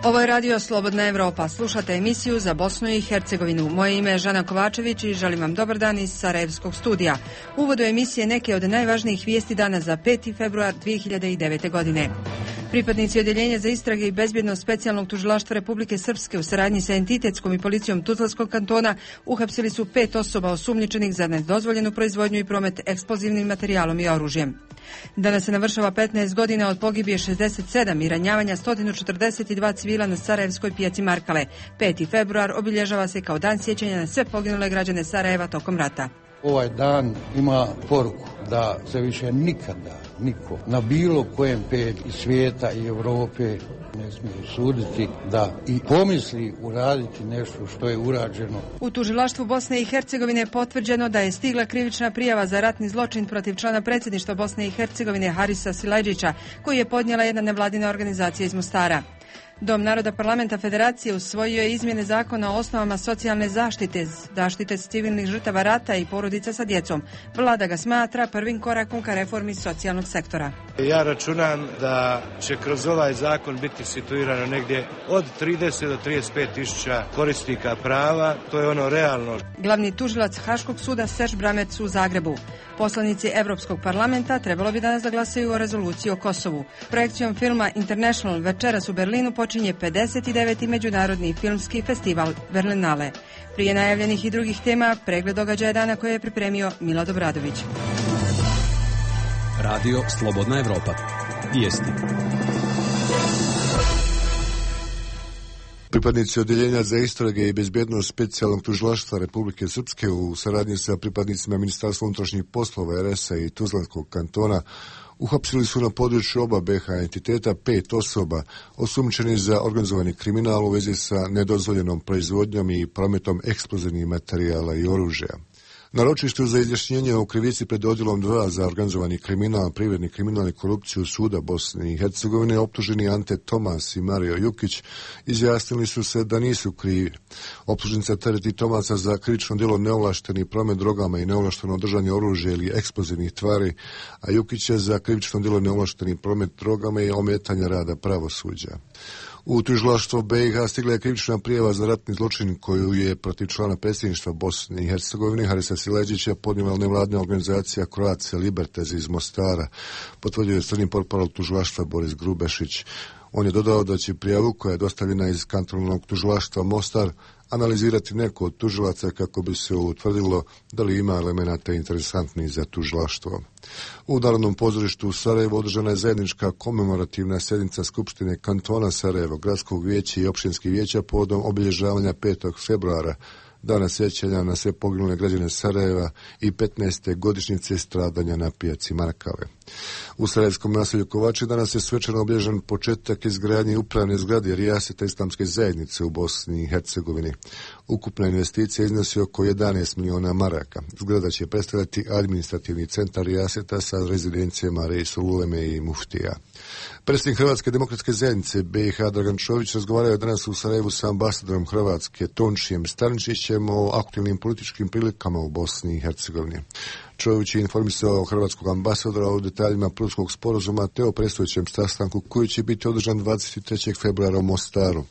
Ovo je Radio Slobodna Evropa. Slušate emisiju za Bosnu i Hercegovinu. Moje ime je Žana Kovačević i želim vam dobar dan iz Sarajevskog studija. U uvodu emisije neke od najvažnijih vijesti dana za 5. februar 2009. godine. Pripadnici Odjeljenja za istrage i bezbjednost specijalnog tužilaštva Republike Srpske u saradnji sa entitetskom i policijom Tuzlanskog kantona uhapsili su 5 osoba osumnjičenih za nedozvoljenu proizvodnju i promet eksplozivnim materijalom i oružjem. Danas se navršava 15 godina od pogibije 67 i ranjavanja 142 civila na Sarajevskoj pijaci Markale. 5. februar obilježava se kao dan sjećanja na sve poginule građane Sarajeva tokom rata. Ovaj dan ima poruku da se više nikada niko na bilo kojem pedlju svijeta i Europe ne smije suditi da i pomisli uraditi nešto što je urađeno. U tužilaštvu Bosne i Hercegovine je potvrđeno da je stigla krivična prijava za ratni zločin protiv člana predsjedništva Bosne i Hercegovine Harisa Silajdžića, koji je podnijela jedna nevladina organizacija iz Mostara. Dom naroda parlamenta federacije usvojio je izmjene zakona o osnovama socijalne zaštite civilnih žrtava rata i porodica sa djecom. Vlada ga smatra prvim korakom ka reformi socijalnog sektora. Ja računam da će kroz ovaj zakon biti situirano negdje od 30 do 35 tisuća korisnika prava. To je ono realno. Glavni tužilac Haškog suda Serž Bramec u Zagrebu. Poslanici Europskog parlamenta trebalo bi danas da glasaju o rezoluciji o Kosovu. Projekcijom filma International večeras u Berlinu počinje 59. međunarodni filmski festival Berlinale. Prije najavljenih i drugih tema, pregled događaja dana koje je pripremio Milad Obradović. Radio Slobodna Evropa. Vijesti. Pripadnici Odjeljenja za istrage i bezbjednost specijalnog tužilaštva Republike Srpske u saradnji sa pripadnicima Ministarstva unutrašnjih poslova RS-a i Tuzlanskog kantona uhapsili su na području oba BiH entiteta 5 osoba osumnjičenih za organizovani kriminal u vezi sa nedozvoljenom proizvodnjom i prometom eksplozivnih materijala i oružja. Na ročištu za izjašnjenje o krivici pred odjelom 2 za organizovani kriminal, privredni kriminal i korupciju Suda Bosne i Hercegovine optuženi Ante Tomas i Mario Jukić izjasnili su se da nisu krivi. Optužnica tereti Tomasa za krivično djelo neovlašteni promet drogama i neovlašteno držanje oružja ili eksplozivnih tvari, a Jukića za krivično djelo neovlašteni promet drogama i ometanja rada pravosuđa. U tužilaštvo BiH stigla je krivična prijava za ratni zločin koju je protiv člana predsjedništva Bosne i Hercegovine Harisa Silajdžića podnijela nevladina organizacija Croatia Libertas iz Mostara, potvrdio je crni portparol tužilaštva Boris Grubešić. On je dodao da će prijavu koja je dostavljena iz kantonalnog tužilaštva Mostar analizirati neko od tužilaca kako bi se utvrdilo da li ima elemenata interesantnih za tužilaštvo. U Narodnom pozorištu u Sarajevu održana je zajednička komemorativna sjednica Skupštine kantona Sarajevo, gradskog vijeća i općinskih vijeća povodom obilježavanja 5. februara, dana sjećanja na sve poginule građane Sarajeva i 15. godišnjice stradanja na pijaci Markale. U sarajevskom naselju Kovači danas je svečano obilježen početak izgradnje upravne zgrade Rijaseta Islamske zajednice u Bosni i Hercegovini. Ukupna investicija iznosi oko 11 miliona maraka. Zgrada će predstavljati administrativni centar Rijaseta sa rezidencijama Reisul Uleme i Muftija. Predsjednik Hrvatske demokratske zajednice BiH Dragan Čović razgovarao je danas u Sarajevu sa ambasadorom Hrvatske Tončijem Stančićem o aktualnim političkim prilikama u Bosni i Hercegovini. Čović je informisao hrvatskog ambasadora o detaljima Prudskog sporazuma te o predstojećem sastanku koji će biti održan 23. februara u Mostaru.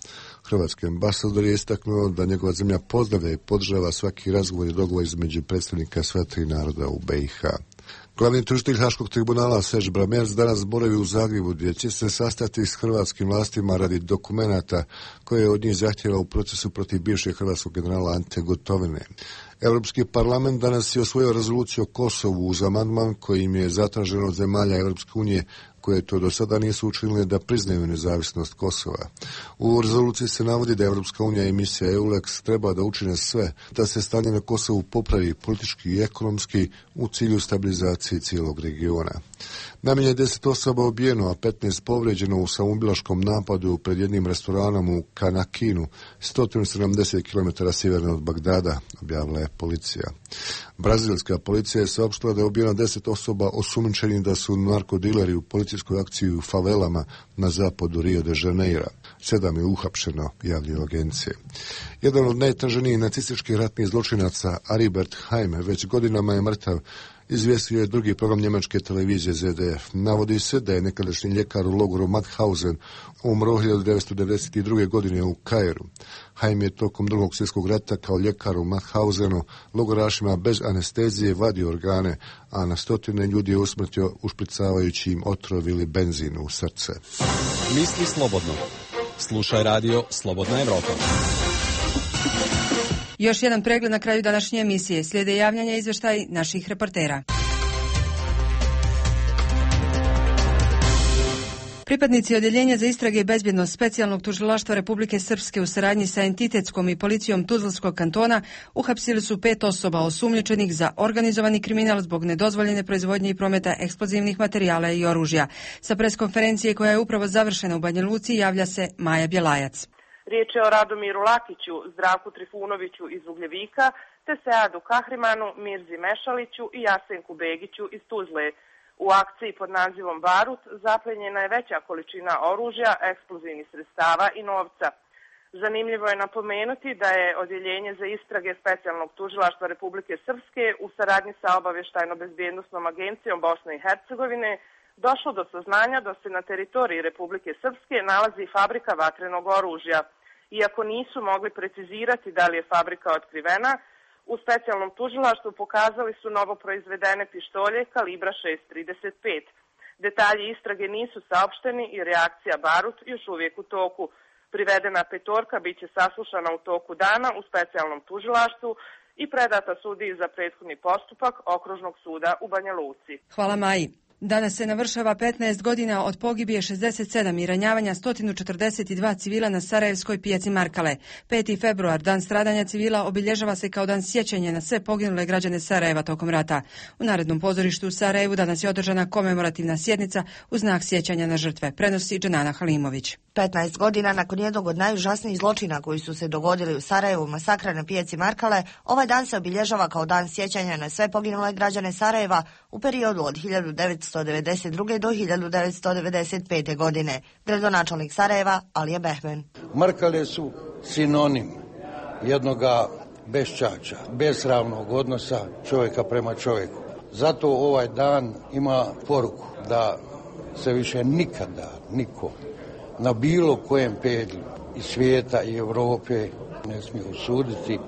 Hrvatski ambasador je istaknuo da njegova zemlja pozdravlja i podržava svaki razgovor i dogovor između predstavnika sva tri naroda u BiH. Glavni tužitelj Haškog tribunala Serž Bramec danas boravi u Zagrebu gdje će se sastati s hrvatskim vlastima radi dokumenata koje je od njih zahtjeva u procesu protiv bivšeg hrvatskog generala Ante Gotovine. Europski parlament danas je osvojio rezoluciju o Kosovu uz amandman kojim je zatraženo od zemalja Europske unije koje to do sada nisu učinile da priznaju nezavisnost Kosova. U rezoluciji se navodi da Europska unija i misija EULEX treba da učine sve da se stanje na Kosovu popravi politički i ekonomski u cilju stabilizacije cijelog regiona. Najmanje 10 osoba ubijeno, a 15 povrijeđeno u samoubilačkom napadu pred jednim restoranom u Kanakinu, 170 km sjeverno od Bagdada, objavila je policija. Brazilska policija je saopštila da je ubijeno 10 osoba osumnjičenih da su narkodileri u policijskoj akciji u favelama na zapadu Rio de Janeira. 7 je uhapšeno, javljaju agencije. Jedan od najtraženijih nacističkih ratnih zločinaca, Aribert Haime, već godinama je mrtav izvijestio je drugi program njemačke televizije ZDF. Navodi se da je nekadašnji ljekar u logoru Mauthausen umro 1992. godine u Kairu. Haim je tokom Drugog svjetskog rata kao ljekar u Mauthausenu logorašima bez anestezije vadio organe, a na stotine ljudi je usmrtio ušpricavajući im otrov ili benzin u srce. Misli slobodno. Slušaj radio Slobodna Evropa. Još jedan pregled na kraju današnje emisije. Slijede javljanja i izvještaj naših reportera. Pripadnici Odjeljenja za istrage i bezbjednost Specijalnog tužilaštva Republike Srpske u saradnji sa entitetskom i policijom Tuzlanskog kantona uhapsili su 5 osoba osumnjičenih za organizovani kriminal zbog nedozvoljene proizvodnje i prometa eksplozivnih materijala i oružja. Sa preskonferencije koja je upravo završena u Banja Luci javlja se Maja Bjelajac. Riječ je o Radomiru Lakiću, Zdravku Trifunoviću iz Ugljevika, te Seadu Kahrimanu, Mirzi Mešaliću i Jasenku Begiću iz Tuzle. U akciji pod nazivom Barut zaplenjena je veća količina oružja, eksplozivnih sredstava i novca. Zanimljivo je napomenuti da je Odjeljenje za istrage Specijalnog tužilaštva Republike Srpske u saradnji sa Obavještajno-bezbjednosnom agencijom Bosne i Hercegovine došlo do saznanja da se na teritoriji Republike Srpske nalazi fabrika vatrenog oružja. Iako nisu mogli precizirati da li je fabrika otkrivena, u specijalnom tužilaštvu pokazali su novo proizvedene pištolje kalibra 6.35. Detalji istrage nisu saopšteni i reakcija Barut još uvijek u toku. Privedena petorka bit će saslušana u toku dana u specijalnom tužilaštvu i predata sudiji za prethodni postupak Okružnog suda u Banja Luci. Hvala Maji. Danas se navršava 15 godina od pogibije 67 i ranjavanja 142 civila na sarajevskoj pijaci Markale. 5. februar, dan stradanja civila, obilježava se kao dan sjećanja na sve poginule građane Sarajeva tokom rata. U Narodnom pozorištu u Sarajevu danas je održana komemorativna sjednica u znak sjećanja na žrtve, prenosi Dženana Halimović. 15 godina nakon jednog od najužasnijih zločina koji su se dogodili u Sarajevu, masakra na pijaci Markale, ovaj dan se obilježava kao dan sjećanja na sve poginule građane Sarajeva u periodu od 1992. do 1995. godine. Gradonačelnik Sarajeva Alija Behmen. Markale su sinonim jednoga beščača, besramnog odnosa čovjeka prema čovjeku. Zato ovaj dan ima poruku da se više nikada niko na bilo kojem pedlju i svijeta i Europe ne smije usuditi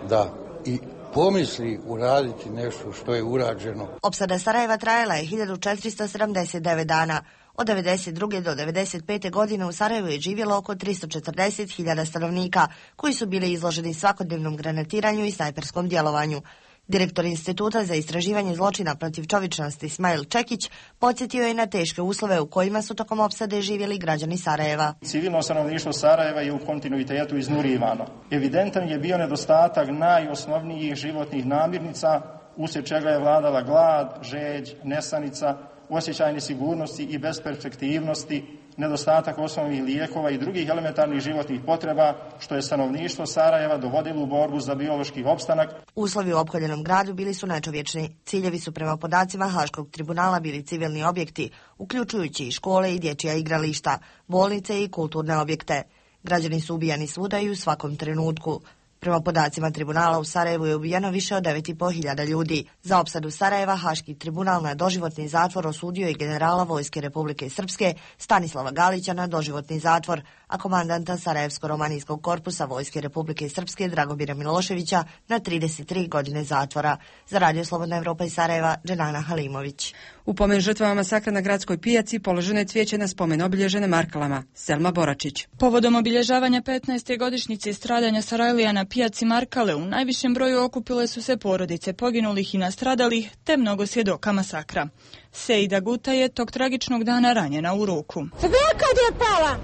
da i pomisli uraditi nešto što je urađeno. Opsada Sarajeva trajala je 1479 dana. Od 92. do 95. godine u Sarajevu je živjelo oko 340.000 stanovnika koji su bili izloženi svakodnevnom granatiranju i snajperskom djelovanju. Direktor Instituta za istraživanje zločina protiv čovječnosti Smail Čekić podsjetio je na teške uslove u kojima su tokom opsade živjeli građani Sarajeva. Civilno stanovništvo Sarajeva je u kontinuitetu iznurivano. Evidentan je bio nedostatak najosnovnijih životnih namirnica, uslijed čega je vladala glad, žeđ, nesanica, osjećaj nesigurnosti i besperspektivnosti, nedostatak osnovnih lijekova i drugih elementarnih životnih potreba, što je stanovništvo Sarajeva dovodilo u borbu za biološki opstanak. Uslovi u opkoljenom gradu bili su nečovječni. Ciljevi su prema podacima Haškog tribunala bili civilni objekti, uključujući i škole i dječja igrališta, bolnice i kulturne objekte. Građani su ubijani svuda i u svakom trenutku. Prema podacima tribunala u Sarajevu je ubijeno više od 9.500 ljudi. Za opsadu Sarajeva Haški tribunal na doživotni zatvor osudio i generala Vojske Republike Srpske Stanislava Galića na doživotni zatvor, a komandanta Sarajevsko-romanijskog korpusa Vojske Republike Srpske Dragomira Miloševića na 33 godine zatvora. Za Radio Slobodna Evropa iz Sarajeva, Dženana Halimović. U pomen žrtvama masakra na gradskoj pijaci položeno je cvijeće na spomen obilježe na Markalama. Selma Boračić. Povodom obilježavanja 15. godišnjice stradanja Sarajlija na pijaci Markale u najvišem broju okupile su se porodice poginulih i nastradalih te mnogo svjedoka masakra. Seida Guta je tog tragičnog dana ranjena u ruku. Sve kad je pala,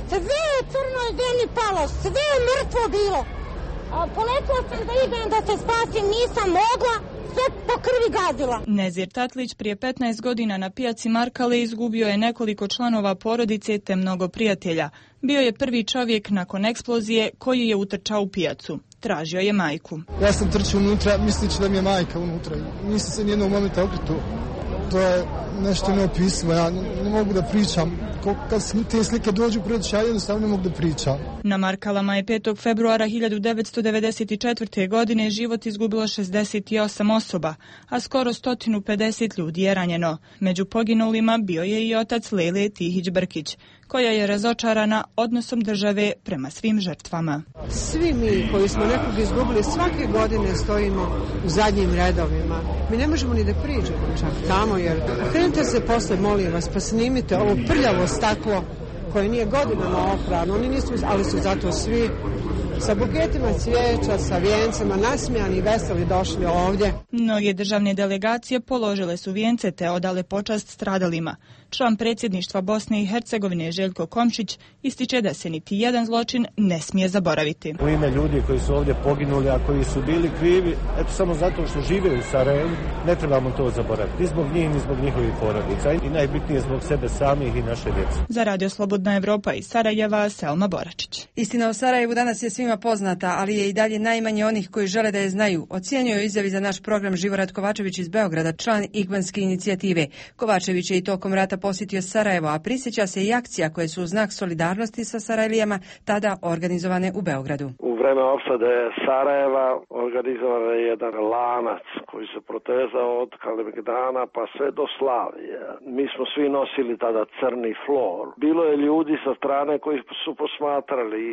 sve je crnoj zemlji palo, sve je mrtvo bilo. A poletila sam da idem da se spasim, nisam mogla, sve po krvi gazila. Nezir Tatlić prije 15 godina na pijaci Markale izgubio je nekoliko članova porodice te mnogo prijatelja. Bio je prvi čovjek nakon eksplozije koji je utrčao u pijacu. Tražio je majku. Ja sam trčao unutra, misleći da mi je majka unutra. Nisam se nijednog momenta okretuo. To je nešto neopisivo, ja ne mogu da pričam. Kad te slike dođu pred oči, ja jednostavno ne mogu da pričam. Na Markalama je 5. februara 1994. godine život izgubilo 68 osoba, a skoro 150 ljudi je ranjeno. Među poginulima bio je i otac Lele Tihić-Brkić, koja je razočarana odnosom države prema svim žrtvama. Svi mi koji smo nekog izgubili svake godine stojimo u zadnjim redovima. Mi ne možemo ni da priđemo čak tamo, jer krenite se posle, molim vas, pa snimite ovo prljavo staklo koje nije godinama oprano, oni nisu, ali su zato svi sa buketima cvijeća, sa vijencima, nasmijani i veseli došli ovdje. Mnoge državne delegacije položile su vijence te odale počast stradalima. Član predsjedništva Bosne i Hercegovine Željko Komšić ističe da se niti jedan zločin ne smije zaboraviti. U ime ljudi koji su ovdje poginuli, a koji su bili krivi, eto samo zato što žive u Sarajevu, ne trebamo to zaboraviti. Ni zbog njih, ni zbog njihovih porodica. I najbitnije zbog sebe samih i naše djece. Za Radio Slobodna Evropa iz Sarajeva, Selma Boračić. Istina o Sarajevu danas je svima poznata, ali je i dalje najmanje onih koji žele da je znaju. Ocjenjuje u izjavi za naš program Živorad Kovačević iz Beograda, član Igmanske inicijative. Kovačević je i tokom rata posjetio Sarajevo, a prisjeća se i akcija koje su u znak solidarnosti sa Sarajlijama tada organizovane u Beogradu. U vreme opsade Sarajeva organizovan je jedan lanac koji se protezao od Kalemegdana pa sve do Slavije. Mi smo svi nosili tada crni flor. Bilo je ljudi sa strane koji su posmatrali.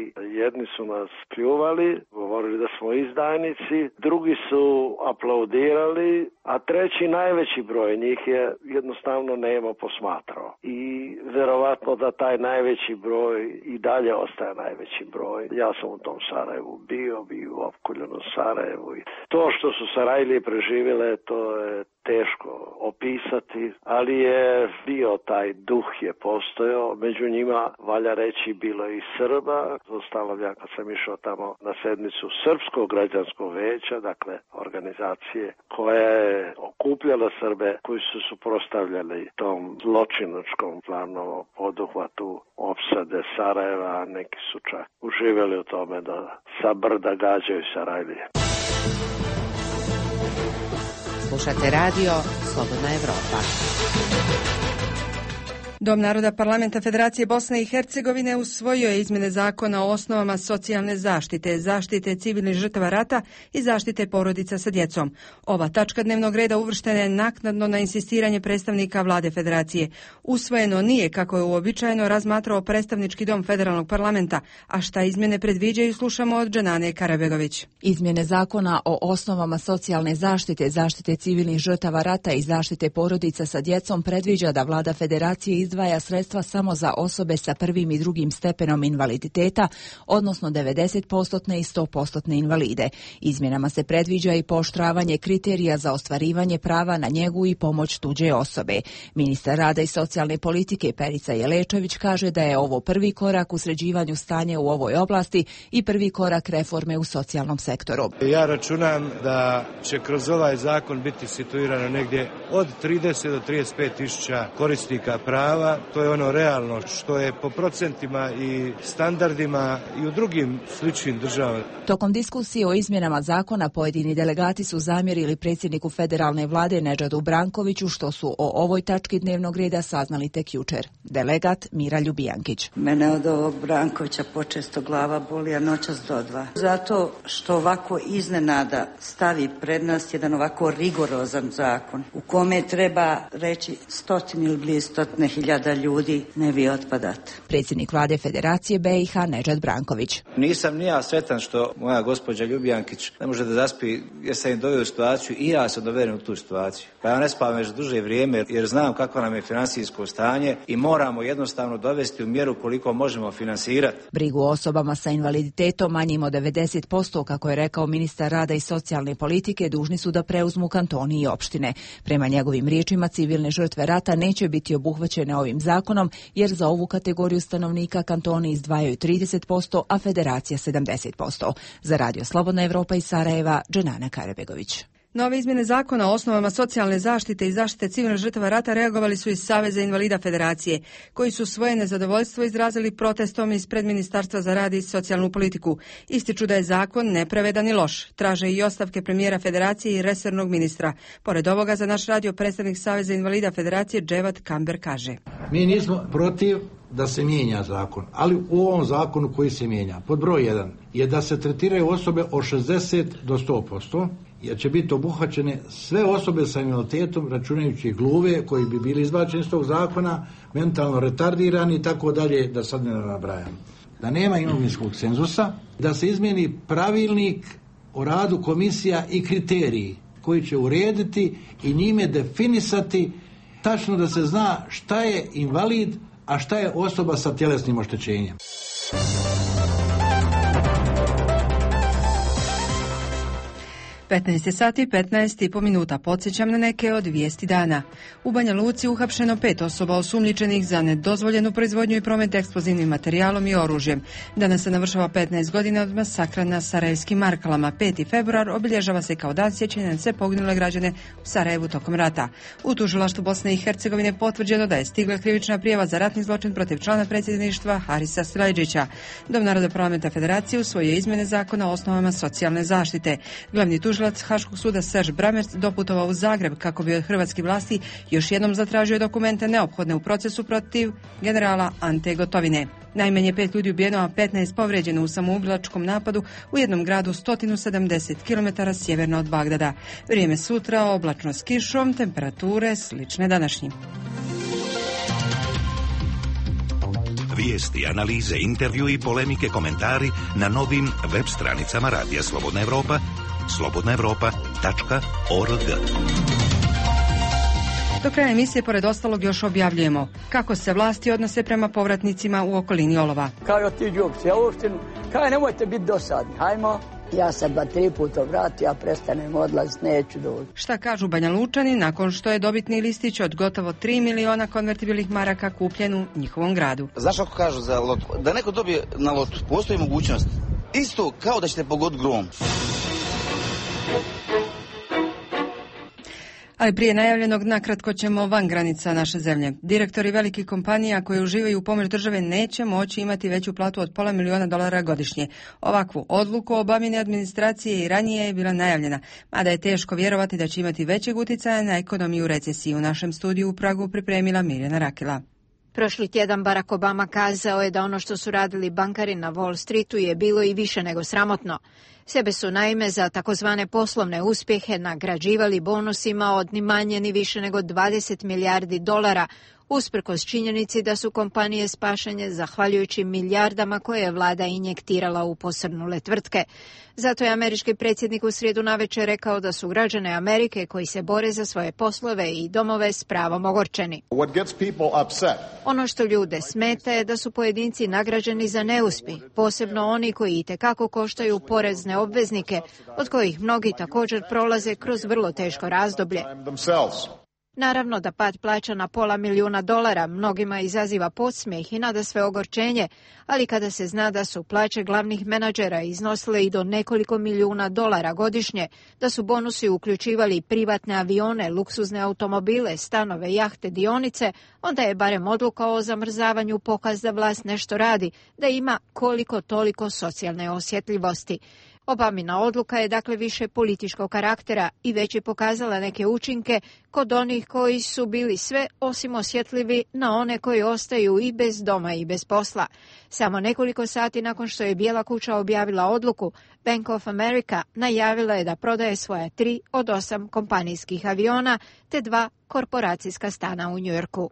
Jedni su nas pljuvali, govorili da smo izdajnici, drugi su aplaudirali, a treći najveći broj njih je jednostavno nemo posmatrao. I verovatno da taj najveći broj i dalje ostaje najveći broj. Ja sam u tom Sarajevu bio u opkoljenom Sarajevu. I to što su Sarajlije preživjele, to je teško opisati, ali je bio taj duh je postojao. Među njima, valja reći, bilo i Srba. Zostalo ja kad sam išao tamo na sedmicu Srpskog građanskog veća, dakle organizacije koja je okupljala Srbe koji su suprotstavljali tom zločinačkom planom poduhvatu opsade Sarajeva. Neki su čak uživjeli u tome da sa brda gađaju Sarajlije. Slušate radio Slobodna Evropa. Dom naroda Parlamenta Federacije Bosne i Hercegovine usvojio je izmjene zakona o osnovama socijalne zaštite, zaštite civilnih žrtava rata i zaštite porodica sa djecom. Ova tačka dnevnog reda uvrštena je naknadno na insistiranje predstavnika vlade Federacije. Usvojeno nije, kako je uobičajeno, razmatrao predstavnički dom Federalnog parlamenta, a šta izmjene predviđaju slušamo od Dženane Karabegović. Izmjene zakona o osnovama socijalne zaštite, zaštite civilnih žrtava rata i zaštite porodica sa djecom predviđa da vlada Federacije izdvaja sredstva samo za osobe sa prvim i drugim stepenom invaliditeta, odnosno 90% i 100% invalide. Izmjenama se predviđa i pooštravanje kriterija za ostvarivanje prava na njegu i pomoć tuđe osobe. Ministar rada i socijalne politike Perica Jelečević kaže da je ovo prvi korak u sređivanju stanja u ovoj oblasti i prvi korak reforme u socijalnom sektoru. Ja računam da će kroz ovaj zakon biti situirano negdje od 30 do 35 tisuća korisnika prava. To je ono realno što je po procentima i standardima i u drugim sličnim državama. Tokom diskusije o izmjenama zakona pojedini delegati su zamjerili predsjedniku federalne vlade Nedžadu Brankoviću što su o ovoj tački dnevnog reda saznali tek jučer. Delegat Mira Ljubijankić. Mene od ovog Brankovića počesto glava boli, a noćas do 2. Zato što ovako iznenada stavi pred nas jedan ovako rigorozan zakon u kome treba reći 100 ili blizu 100.000 ljudi ne vi otpadate. Predsjednik vlade Federacije BiH Nedžad Branković. Nisam ni ja sretan što moja gospođa Ljubijankić ne može da zaspi, jer sam im doveo u situaciju i ja sam doveden u tu situaciju. Pa ja ne spavam već duže vrijeme jer znam kako nam je financijsko stanje i moramo jednostavno dovesti u mjeru koliko možemo finansirati. Brigu o osobama sa invaliditetom manjim od 90%, kako je rekao ministar rada i socijalne politike, dužni su da preuzmu kantoni i opštine. Prema njegovim riječima, civilne žrtve rata neće biti obuhvaćene ovim zakonom, jer za ovu kategoriju stanovnika kantoni izdvajaju 30%, a Federacija 70%. Za Radio Slobodna Evropa iz Sarajeva, Dženana Karabegović. Nove izmjene zakona o osnovama socijalne zaštite i zaštite civilnih žrtava rata reagovali su iz Saveza invalida Federacije, koji su svoje nezadovoljstvo izrazili protestom ispred Ministarstva za rad i socijalnu politiku. Ističu da je zakon nepravedan i loš. Traže i ostavke premijera Federacije i resornog ministra. Pored ovoga, za naš radio predstavnik Saveza invalida Federacije Dževat Kamber kaže: Mi nismo protiv da se mijenja zakon, ali u ovom zakonu koji se mijenja, pod broj 1 je da se tretiraju osobe od 60 do 100%, jer će biti obuhvaćene sve osobe sa invaliditetom, računajući gluve koji bi bili izbačeni iz tog zakona, mentalno retardirani i tako dalje, da sad ne nabrajam. Da nema imovinskog cenzusa, da se izmijeni pravilnik o radu komisija i kriteriji koji će urediti i njime definisati tačno da se zna šta je invalid, a šta je osoba sa tjelesnim oštećenjem. 15 sati 15,5 minuta. Podsjećam na neke od vijesti dana. U Banja Luci uhapšeno 5 osoba osumnjičenih za nedozvoljenu proizvodnju i promet eksplozivnim materijalom i oružjem. Danas se navršava 15 godina od masakra na sarajevskim Markalama. 5. februar obilježava se kao dan sjećanja na sve poginule građane u Sarajevu tokom rata. U tužilaštvu Bosne i Hercegovine potvrđeno da je stigla krivična prijava za ratni zločin protiv člana predsjedništva Harisa Silajdžića. Dom Naroda parlamenta Federacije usvojio izmjene zakona o osnovama socijalne zaštite. Glavni tužilac Haškog suda Serž Bramerc doputovao u Zagreb kako bi od hrvatskih vlasti još jednom zatražio dokumente neophodne u procesu protiv generala Ante Gotovine. Najmanje 5 ljudi ubijeno, a 15 povrijeđeno u samoubilačkom napadu u jednom gradu 170 km sjeverno od Bagdada. Vrijeme sutra oblačno s kišom, temperature slične današnjim. Vijesti, analize, intervju i polemike, komentari na novim web stranicama Radija Slobodna Evropa, slobodnaevropa.org. Do kraja emisije, pored ostalog, još objavljujemo kako se vlasti odnose prema povratnicima u okolini Olova. Kao ti džupci, ja uopšte, kao nemojte biti dosadni, hajmo. Ja se 2-3 puta vrati, ja prestanem odlaziti, neću doći. Šta kažu Banja Lučani nakon što je dobitni listić od gotovo 3 miliona konvertibilnih maraka kupljen u njihovom gradu? Znaš kako kažu za lotu? Da neko dobije na lotu, postoji mogućnost. Isto kao da ćete pogoditi grom. Ali prije najavljenog nakratko ćemo van granica naše zemlje. Direktori velikih kompanija koji uživaju u pomoć države neće moći imati veću platu od $500,000 godišnje. Ovakvu odluku Obamine administracije i ranije je bila najavljena, mada je teško vjerovati da će imati većeg utjecaja na ekonomiju recesiju. U našem studiju u Pragu pripremila Mirjana Rakela. Prošli tjedan Barack Obama kazao je da ono što su radili bankari na Wall Streetu je bilo i više nego sramotno. Sebe su naime za takozvane poslovne uspjehe nagrađivali bonusima od ni manje ni više nego $20 milijardi, usprkos činjenici da su kompanije spašene zahvaljujući milijardama koje je vlada injektirala u posrnule tvrtke. Zato je američki predsjednik u srijedu navečer rekao da su građane Amerike koji se bore za svoje poslove i domove s pravom ogorčeni. Ono što ljude smeta je da su pojedinci nagrađeni za neuspjeh, posebno oni koji itekako koštaju porezne obveznike, od kojih mnogi također prolaze kroz vrlo teško razdoblje. Naravno da pad plaća na $500,000 mnogima izaziva podsmijeh i nadasve ogorčenje, ali kada se zna da su plaće glavnih menadžera iznosile i do nekoliko $1,000,000 godišnje, da su bonusi uključivali privatne avione, luksuzne automobile, stanove, jahte, dionice, onda je barem odluka o zamrzavanju pokaz da vlast nešto radi, da ima koliko toliko socijalne osjetljivosti. Obamina odluka je dakle više političkog karaktera i već je pokazala neke učinke kod onih koji su bili sve osim osjetljivi na one koji ostaju i bez doma i bez posla. Samo nekoliko sati nakon što je Bijela kuća objavila odluku, Bank of America najavila je da prodaje svoja 3 od 8 kompanijskih aviona te 2 korporacijska stana u Njujorku.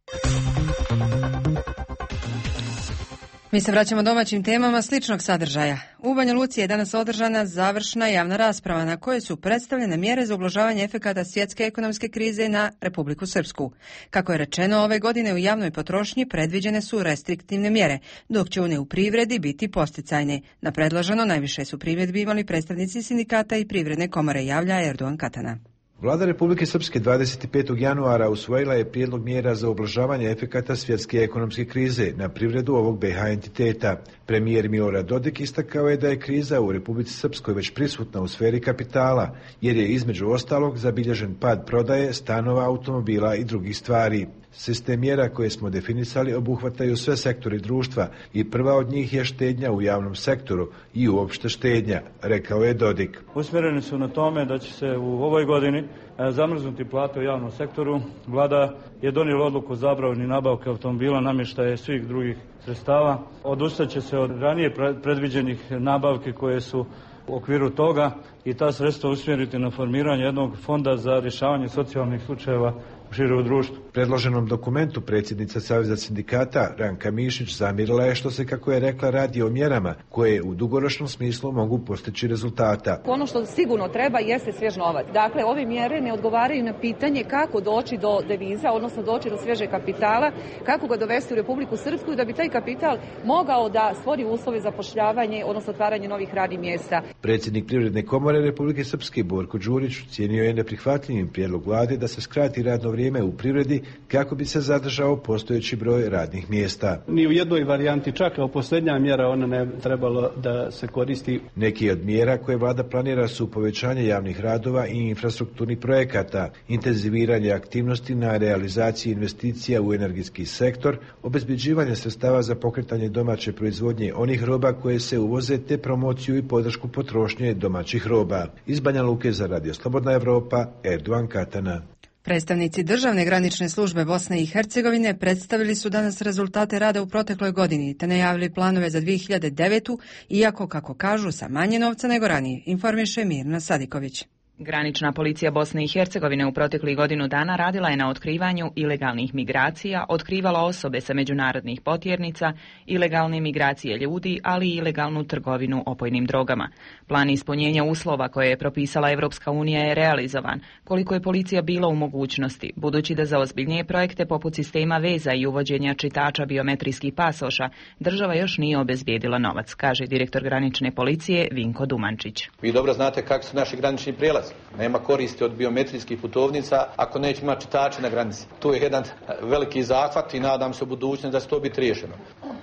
Mi se vraćamo domaćim temama sličnog sadržaja. U Banja Luci je danas održana završna javna rasprava na kojoj su predstavljene mjere za ublažavanje efekata svjetske ekonomske krize na Republiku Srpsku. Kako je rečeno, ove godine u javnoj potrošnji predviđene su restriktivne mjere, dok će one u privredi biti posticajne. Na predloženo najviše su primjedbi imali predstavnici sindikata i privredne komore, javlja Erdogan Katana. Vlada Republike Srpske 25. januara usvojila je prijedlog mjera za ublažavanje efekata svjetske ekonomske krize na privredu ovog BiH entiteta. Premijer Milorad Dodik istakao je da je kriza u Republici Srpskoj već prisutna u sferi kapitala, jer je između ostalog zabilježen pad prodaje stanova, automobila i drugih stvari. Sistem mjera koje smo definisali obuhvataju sve sektori društva i prva od njih je štednja u javnom sektoru i uopšte štednja, rekao je Dodik. Usmjereni su na tome da će se u ovoj godini zamrznuti plate u javnom sektoru. Vlada je donijela odluku o zabrani nabavke automobila, namještaja i svih drugih sredstava. Odustaće se od ranije predviđenih nabavki koje su u okviru toga i ta sredstva usmjeriti na formiranje jednog fonda za rješavanje socijalnih slučajeva u širom društvu. Predloženom dokumentu predsjednica Saveza sindikata Ranka Mišić zamjerila je što se, kako je rekla, radi o mjerama koje u dugoročnom smislu mogu postići rezultata. Ono što sigurno treba jeste svjež novac. Dakle, ove mjere ne odgovaraju na pitanje kako doći do deviza, odnosno doći do svježeg kapitala, kako ga dovesti u Republiku Srpsku da bi taj kapital mogao da stvori uslove za zapošljavanje, odnosno otvaranje novih radnih mjesta. Predsjednik Privredne komore Republike Srpske Borko Đurić cijenio je neprihvatljivim prijedlog vlade da se skrati radno vrijeme u privredi kako bi se zadržao postojeći broj radnih mjesta. Ni u jednoj varijanti, čak kao posljednja mjera, ona ne trebalo da se koristi. Neki od mjera koje vlada planira su povećanje javnih radova i infrastrukturnih projekata, intenziviranje aktivnosti na realizaciji investicija u energetski sektor, obezbeđivanje sredstava za pokretanje domaće proizvodnje onih roba koje se uvoze te promociju i podršku potrošnje domaćih roba. Iz Banja Luke za Radio Slobodna Evropa, Erdogan Katana. Predstavnici Državne granične službe Bosne i Hercegovine predstavili su danas rezultate rada u protekloj godini te najavili planove za 2009. iako, kako kažu, sa manje novca nego ranije, informiše Mirna Sadiković. Granična policija Bosne i Hercegovine u proteklih godinu dana radila je na otkrivanju ilegalnih migracija, otkrivala osobe sa međunarodnih potjernica, ilegalne migracije ljudi, ali i ilegalnu trgovinu opojnim drogama. Plan ispunjenja uslova koje je propisala Evropska unija je realizovan, koliko je policija bila u mogućnosti, budući da za ozbiljnije projekte poput sistema veza i uvođenja čitača biometrijskih pasoša država još nije obezbijedila novac, kaže direktor granične policije Vinko Dumančić. Vi dobro znate kako su naši granični prijelazi. Nema koristi od biometrijskih putovnica ako neće imati čitače na granici. Tu je jedan veliki zahvat i nadam se u budućnosti da će to biti riješeno.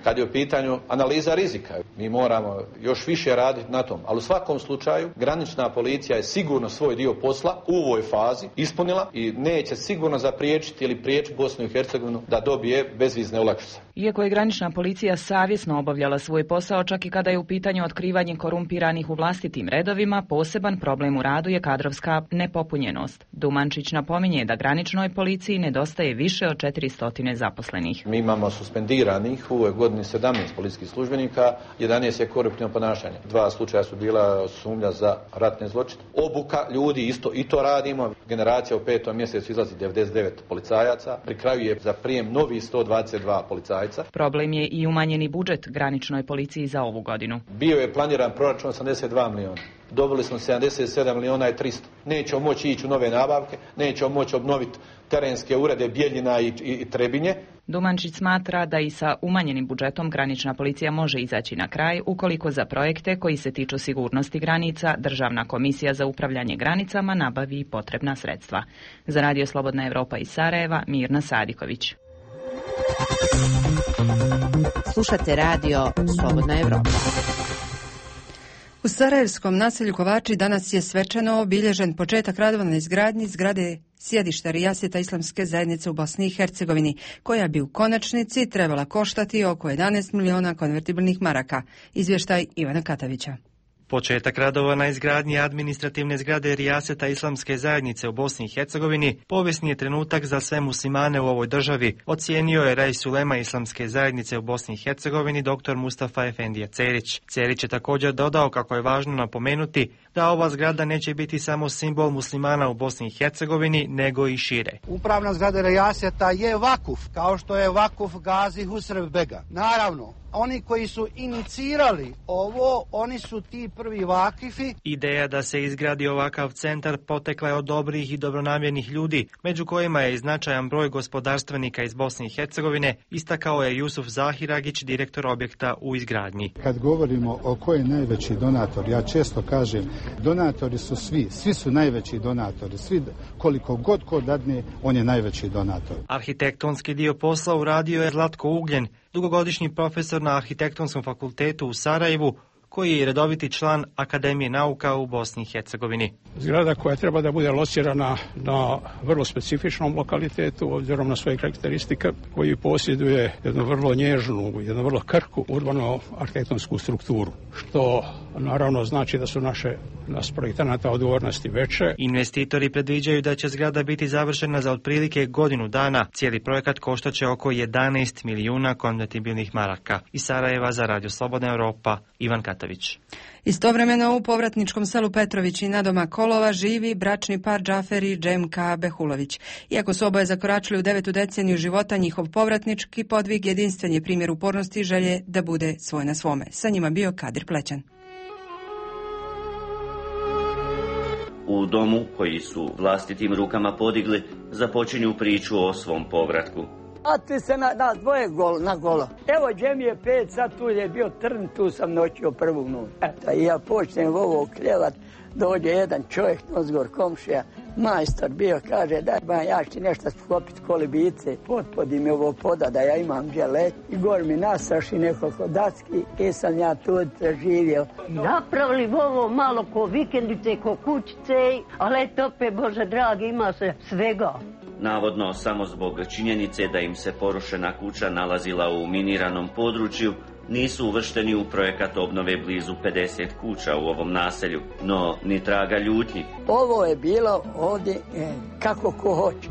Kad je u pitanju analiza rizika, mi moramo još više raditi na tom. Ali u svakom slučaju granična policija je sigurno svoj dio posla u ovoj fazi ispunila i neće sigurno zapriječiti ili priječiti Bosnu i Hercegovinu da dobije bezvizne olakšice. Iako je granična policija savjesno obavljala svoj posao, čak i kada je u pitanju otkrivanje korumpiranih u vlastitim redovima, poseban problem u radu je kadrovska nepopunjenost. Dumančić napominje da graničnoj policiji nedostaje više od 400 zaposlenih. Mi imamo suspendiranih u ovoj godini 17 policijskih službenika, 11 je koruptivno ponašanje. 2 slučaja su bila sumnja za ratne zločine. Obuka ljudi isto i to radimo. Generacija u 5. mjesecu izlazi 99 policajaca. Pri kraju je za prijem novi 122 policajca. Problem je i umanjeni budžet graničnoj policiji za ovu godinu. Bio je planiran proračun 82 miliona. Dobili smo 77 miliona i 300. Nećemo moći ići u nove nabavke, nećemo moći obnoviti terenske urede Bijeljina i Trebinje. Dumančić smatra da i sa umanjenim budžetom granična policija može izaći na kraj ukoliko za projekte koji se tiču sigurnosti granica Državna komisija za upravljanje granicama nabavi potrebna sredstva. Za Radio Slobodna Evropa iz Sarajeva, Mirna Sadiković. Slušate Radio Slobodna Evropa. U sarajevskom naselju Kovači danas je svečano obilježen početak radova na izgradnji zgrade sjedišta Rijaseta Islamske zajednice u Bosni i Hercegovini, koja bi u konačnici trebala koštati oko 11 miliona konvertibilnih maraka. Izvještaj Ivana Katavića. Početak radova na izgradnji administrativne zgrade Rijaseta Islamske zajednice u Bosni i Hercegovini povijesni je trenutak za sve muslimane u ovoj državi, ocijenio je Rais ulema Islamske zajednice u Bosni i Hercegovini dr. Mustafa Efendija Cerić. Cerić je također dodao kako je važno napomenuti da ova zgrada neće biti samo simbol muslimana u Bosni i Hercegovini, nego i šire. Upravna zgrada Rijaseta je vakuf, kao što je vakuf Gazi Husrev Bega. Naravno, oni koji su inicirali ovo, oni su ti prvi vakifi. Ideja da se izgradi ovakav centar potekla je od dobrih i dobronamjernih ljudi, među kojima je i značajan broj gospodarstvenika iz Bosne i Hercegovine, istakao je Jusuf Zahiragić, direktor objekta u izgradnji. Kad govorimo o ko je najveći donator, ja često kažem Donatori su svi su najveći donatori, svi koliko god ko dadne, on je najveći donator. Arhitektonski dio posla uradio je Zlatko Ugljen, dugogodišnji profesor na Arhitektonskom fakultetu u Sarajevu, koji je redoviti član Akademije nauka u Bosni i Hercegovini. Zgrada koja treba da bude locirana na vrlo specifičnom lokalitetu, obzirom na svoje karakteristike, koji posjeduje jednu vrlo nježnu, jednu vrlo krhku urbano-arhitektonsku strukturu, što naravno znači da su nas projektanata odgovornosti veće. Investitori predviđaju da će zgrada biti završena za otprilike godinu dana. Cijeli projekat koštaće oko 11 milijuna konvertibilnih maraka. Iz Sarajeva za Radio Slobodna Europa, Ivan Katavić. Istovremeno u povratničkom selu Petrovići na doma Kolova živi bračni par Džafer i Džemka Behulović. Iako su oboje zakoračili u 9. deceniju života, njihov povratnički podvig jedinstven je primjer upornosti i želje da bude svoj na svome. Sa njima bio Kadir Plećan. U domu koji su vlastitim rukama podigli, započinju priču o svom povratku. A ti se na dvoje na golo. Evo, Džem je 5, sad tu je bio trn, tu sam noćio prvu noć. Eto, i ja počnem ovo kljevat, dođe jedan čovjek, nozgor komšija, majstor bio, kaže, daj, ja ću nešto sklopiti kolibice, potpodi mi ovo poda da ja imam gdje let. I gor mi nasaši nekoliko dacki i sam ja tu preživio. Napravili ovo malo ko vikendice, ko kućice, ali eto, opet, Bože dragi, ima se svega. Navodno, samo zbog činjenice da im se porušena kuća nalazila u miniranom području, nisu uvršteni u projekat obnove blizu 50 kuća u ovom naselju, no ni traga ljutnji. Ovo je bilo ovdje kako ko hoće,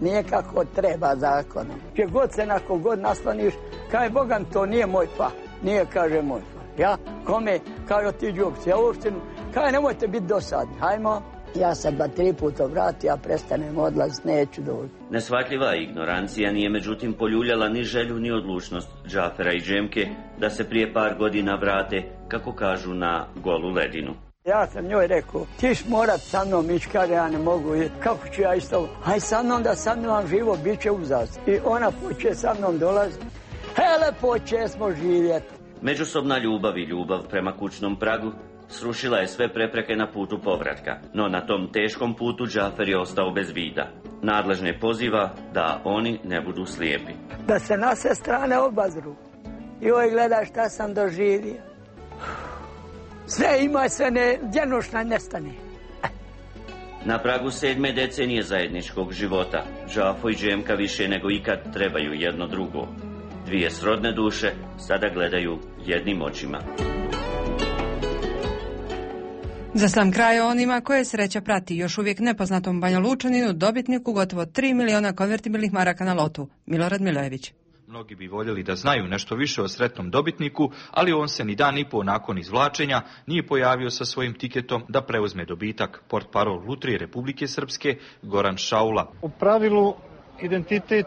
nije kako treba zakonom. Gdje god se nakon god nasloniš, kaže Bogan, to nije moj pa, nije, kaže, moj pa. Ja, kome, kaže ti džubci, ja uopšte, kaže nemojte biti dosadni, hajmo. Ja sam 2-3 puta vratio, ja prestanem odlaziti, neću doći. Nesvatljiva ignorancija nije međutim poljuljala ni želju ni odlučnost Džafera i Džemke da se prije par godina vrate, kako kažu, na golu ledinu. Ja sam njoj rekao, tiš morat sa mnom ići, kaže ja ne mogu, kako ću ja isto, aj sa mnom da sa mnom živo, bit će uzas. I ona poče sa mnom dolaziti, hele poče smo živjeti. Međusobna ljubav i ljubav prema kućnom pragu srušila je sve prepreke na putu povratka, no na tom teškom putu Džafer je ostao bez vida. Nadležne poziva da oni ne budu slijepi. Da se na sve strane obazru. Joj, gledaj šta sam doživio. Sve ima, sve ne, djenušna nestane. Na pragu 7. decenije zajedničkog života, Džafo i Džemka više nego ikad trebaju jedno drugo. Dvije srodne duše sada gledaju jednim očima. Za sam kraj onima koje sreća prati, još uvijek nepoznatom Banjalučaninu, dobitniku gotovo 3 miliona konvertibilnih maraka na lotu. Milorad Milojević. Mnogi bi voljeli da znaju nešto više o sretnom dobitniku, ali on se ni dan i po nakon izvlačenja nije pojavio sa svojim tiketom da preuzme dobitak. Portparol Lutrije Republike Srpske Goran Šaula. U pravilu identitet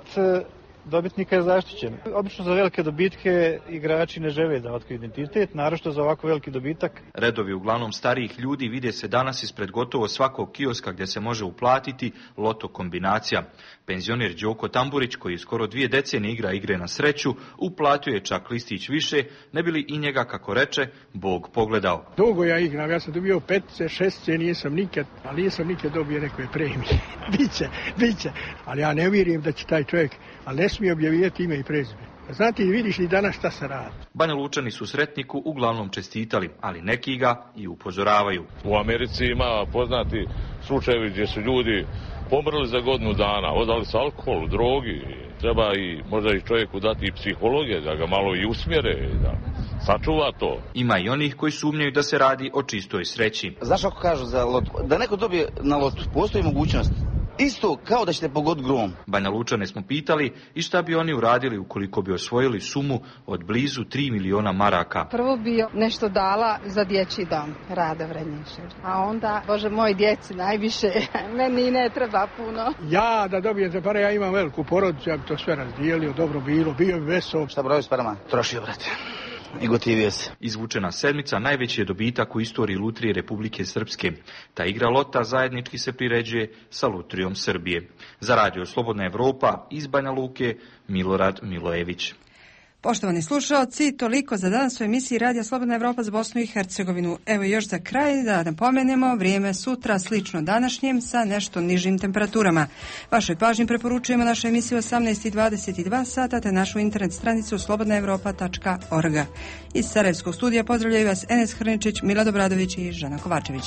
dobitnika je zaštićen. Obično za velike dobitke igrači ne žele da otkriju identitet, naročito za ovako veliki dobitak. Redovi uglavnom starijih ljudi vide se danas ispred gotovo svakog kioska gdje se može uplatiti loto kombinacija. Penzioner Đoko Tamburić, koji skoro 2 decenije igra igre na sreću, uplatio je čak listić više, ne bi li i njega, kako reče, Bog pogledao. Dugo ja igram, ja sam dobio 5, 6, nisam nikad dobio nekoj premije. Biće, ali ja ne vjerujem da će taj čovjek, ali ne smije objavljivati ime i prezime. Znate, i vidiš i danas šta se radi. Banja Lučani su sretniku uglavnom čestitali, ali neki ga i upozoravaju. U Americi ima poznati slučajevi gdje su ljudi pomrli za godinu dana, odali su alkohol, drogi. Treba i možda i čovjeku dati i psihologije, da ga malo i usmjere, da sačuva to. Ima i onih koji sumnjaju da se radi o čistoj sreći. Znaš ako kažu za lotu, da neko dobije na lotu, postoji mogućnost. Isto kao da ćete pogoditi grom. Banja Lučane smo pitali i šta bi oni uradili ukoliko bi osvojili sumu od blizu 3 miliona maraka. Prvo bi nešto dala za dječji dom, Rada Vrednišer. A onda, Bože moj, djeci najviše, meni ne treba puno. Ja da dobijem te pare, ja imam veliku porodicu, ja bi to sve razdijelio, dobro bilo, bio bi vesel. Šta broju s parama? Trošio, brate. I gotivio se. Izvučena sedmica najveći je dobitak u istoriji Lutrije Republike Srpske. Ta igra lota zajednički se priređuje sa Lutrijom Srbije. Za Radio Slobodna Evropa iz Banja Luke, Milorad Milojević. Poštovani slušalci, toliko za danas u emisiji Radija Slobodna Evropa za Bosnu i Hercegovinu. Evo još za kraj da napomenemo vrijeme sutra slično današnjem sa nešto nižim temperaturama. Vašoj pažnji preporučujemo našu emisiju 18:22 sata te našu internet stranicu slobodnaevropa.org. Iz Sarajevskog studija pozdravljaju vas Enes Hrničić, Milad Obradović i Žana Kovačević.